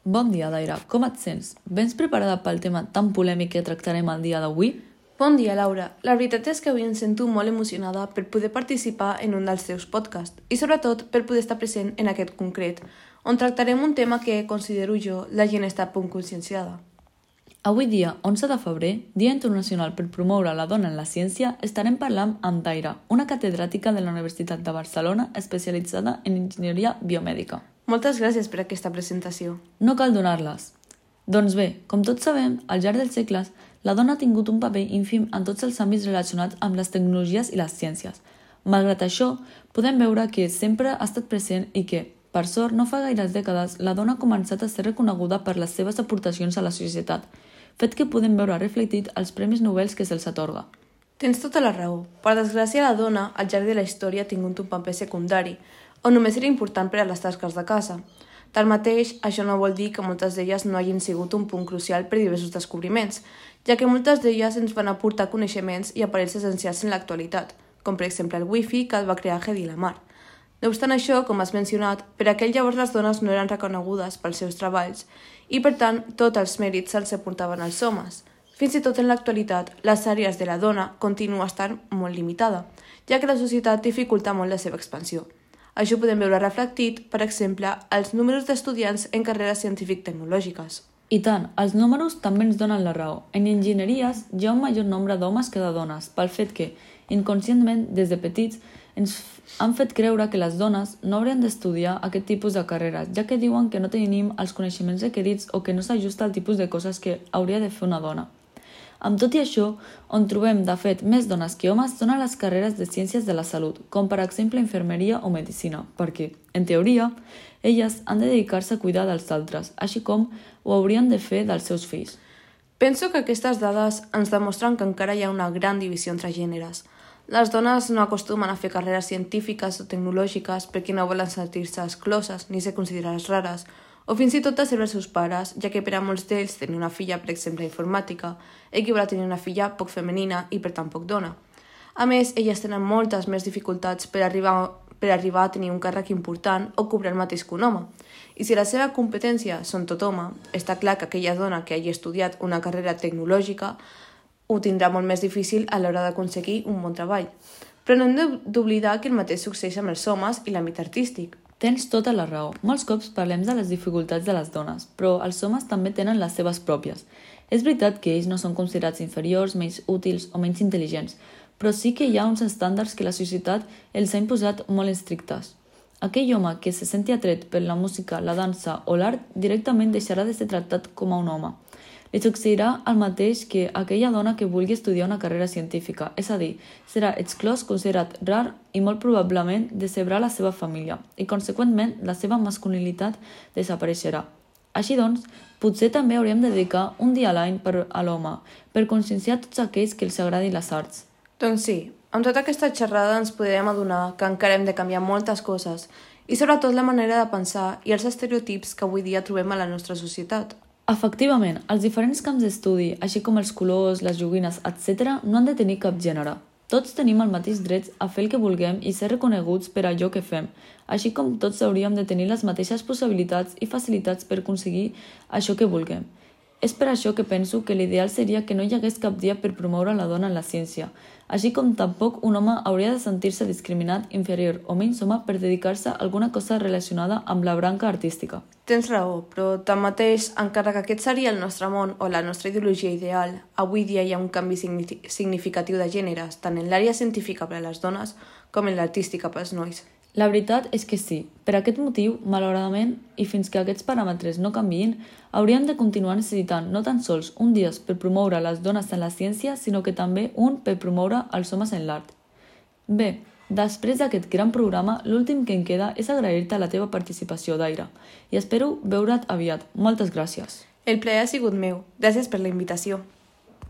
Bon dia, Daira. Com et sents? Vens preparada pel tema tan polèmic que tractarem el dia d'avui? Bon dia, Laura. La veritat és que avui em sento molt emocionada per poder participar en un dels teus podcasts i sobretot per poder estar present en aquest concret, on tractarem un tema que, considero jo, la gent està poc conscienciada. Avui dia, 11 de febrer, Dia Internacional per promoure la dona en la ciència, estarem parlant amb Daira, una catedràtica de la Universitat de Barcelona especialitzada en enginyeria biomèdica. Moltes gràcies per aquesta presentació. No cal donar-les. Doncs bé, com tots sabem, al llarg dels segles, la dona ha tingut un paper ínfim en tots els àmbits relacionats amb les tecnologies i les ciències. Malgrat això, podem veure que sempre ha estat present i que, per sort, no fa gaires dècades, la dona ha començat a ser reconeguda per les seves aportacions a la societat, fet que podem veure reflectit als Premis Nobel que se'ls atorga. Tens tota la raó. Per desgràcia, la dona, al llarg de la història, ha tingut un paper secundari, o només era important per a les tasques de casa. Tanmateix, això no vol dir que moltes d'elles no hagin sigut un punt crucial per diversos descobriments, ja que moltes d'elles ens van aportar coneixements i aparells essencials en l'actualitat, com per exemple el Wi-Fi que el va crear Hedy Lamarr. No obstant això, com has mencionat, per aquell llavors les dones no eren reconegudes pels seus treballs i, per tant, tots els mèrits se'ls aportaven als homes. Fins i tot en l'actualitat, les àrees de la dona continua estant molt limitada, ja que la societat dificulta molt la seva expansió. Això ho podem veure reflectit, per exemple, als números d'estudiants en carreres científic-tecnològiques. I tant, els números també ens donen la raó. En enginyeries hi ha un major nombre d'homes que de dones, pel fet que, inconscientment, des de petits, ens han fet creure que les dones no haurien d'estudiar aquest tipus de carreres, ja que diuen que no tenim els coneixements requerits o que no s'ajusta al tipus de coses que hauria de fer una dona. Amb tot i això, on trobem, de fet, més dones que homes són a les carreres de ciències de la salut, com per exemple infermeria o medicina, perquè, en teoria, elles han de dedicar-se a cuidar dels altres, així com ho haurien de fer dels seus fills. Penso que aquestes dades ens demostren que encara hi ha una gran divisió entre gèneres. Les dones no acostumen a fer carreres científiques o tecnològiques perquè no volen sentir-se excloses ni ser considerades rares, o fins i tot de ser els seus pares, ja que per a molts d'ells tenir una filla, per exemple, informàtica, equival a tenir una filla poc femenina i per tant poc dona. A més, elles tenen moltes més dificultats per arribar a tenir un càrrec important o cobrar el mateix que un home. I si la seva competència són tot home, està clar que aquella dona que hagi estudiat una carrera tecnològica ho tindrà molt més difícil a l'hora d'aconseguir un bon treball. Però no hem d'oblidar que el mateix succeeix amb els homes i l'àmbit artístic. Tens tota la raó. Molts cops parlem de les dificultats de les dones, però els homes també tenen les seves pròpies. És veritat que ells no són considerats inferiors, menys útils o menys intel·ligents, però sí que hi ha uns estàndards que la societat els ha imposat molt estrictes. Aquell home que se senti atret per la música, la dansa o l'art directament deixarà de ser tractat com a un home. Li succeirà el mateix que aquella dona que vulgui estudiar una carrera científica, és a dir, serà exclòs, considerat rar i molt probablement decebrà la seva família i, conseqüentment, la seva masculinitat desapareixerà. Així doncs, potser també hauríem de dedicar un dia a l'any a l'home per conscienciar tots aquells que els agradin les arts. Doncs sí, amb tota aquesta xerrada ens podem adonar que encara hem de canviar moltes coses i sobretot la manera de pensar i els estereotips que avui dia trobem a la nostra societat. Efectivament, els diferents camps d'estudi, així com els colors, les joguines, etc., no han de tenir cap gènere. Tots tenim el mateix dret a fer el que vulguem i ser reconeguts per allò que fem, així com tots hauríem de tenir les mateixes possibilitats i facilitats per aconseguir això que vulguem. És per això que penso que l'ideal seria que no hi hagués cap dia per promoure la dona en la ciència, així com tampoc un home hauria de sentir-se discriminat, inferior o menys home per dedicar-se a alguna cosa relacionada amb la branca artística. Tens raó, però tanmateix, encara que aquest seria el nostre món o la nostra ideologia ideal, avui dia hi ha un canvi significatiu de gèneres, tant en l'àrea científica per a les dones com en l'artística per als nois. La veritat és que sí. Per aquest motiu, malauradament, i fins que aquests paràmetres no canviïn, hauríem de continuar necessitant no tan sols un dia per promoure les dones en la ciència, sinó que també un per promoure els homes en l'art. Bé, després d'aquest gran programa, l'últim que em queda és agrair-te la teva participació, Daira, i espero veure't aviat. Moltes gràcies. El plaer ha sigut meu. Gràcies per la invitació.